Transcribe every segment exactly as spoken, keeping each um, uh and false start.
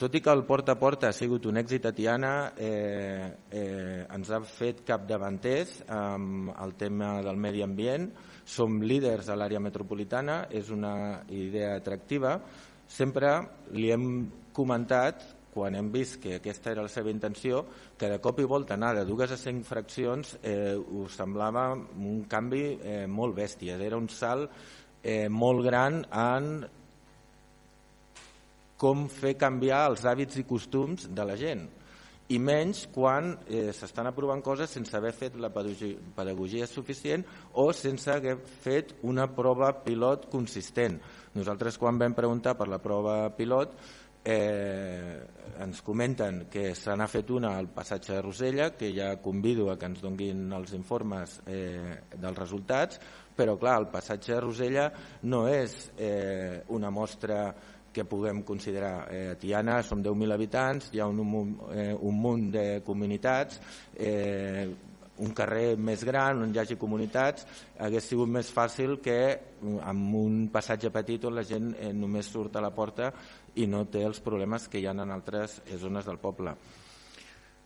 Tot i que el porta a porta ha sigut un èxit a Tiana, eh, eh, ens ha fet capdavanters amb el tema del medi ambient. Som líders a l'àrea metropolitana, és una idea atractiva. Sempre li hem comentat, quan hem vist que aquesta era la seva intenció, que de cop i volta anar de dues a cinc fraccions eh, us semblava un canvi eh, molt bèstia. Era un salt eh, molt gran en com fer canviar els hàbits i costums de la gent, i menys quan eh, s'estan aprovant coses sense haver fet la pedagogia suficient o sense haver fet una prova pilot consistent. Nosaltres, quan vam preguntar per la prova pilot, eh, ens comenten que se n'ha fet una al passatge de Rosella, que ja convido a que ens donguin els informes eh, dels resultats, però clar, el passatge de Rosella no és eh, una mostra que puguem considerar. Eh, a Tiana som deu mil habitants, hi ha un, un, eh, un munt de comunitats, eh, un carrer més gran on hi hagi comunitats, hagués sigut més fàcil que amb un passatge petit on la gent eh, només surt a la porta i no té els problemes que hi ha en altres zones del poble.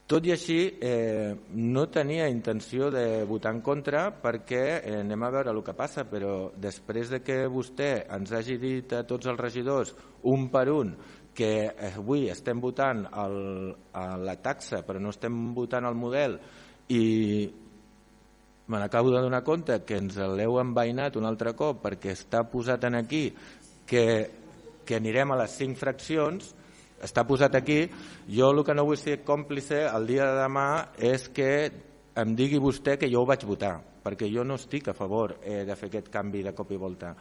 Tot i així, eh, no tenia intenció de votar en contra perquè eh, anem a veure el que passa, però després de que vostè ens hagi dit a tots els regidors, un per un, que avui estem votant el, a la taxa però no estem votant el model, i me n'acabo de donar compte que ens l'heu envainat un altre cop perquè està posat en aquí que, que anirem a les cinc fraccions, està posat aquí. Jo el que no vull ser còmplice el dia de demà és que em digui vostè que jo ho vaig votar, perquè jo no estic a favor eh, de fer aquest canvi de cop i volta.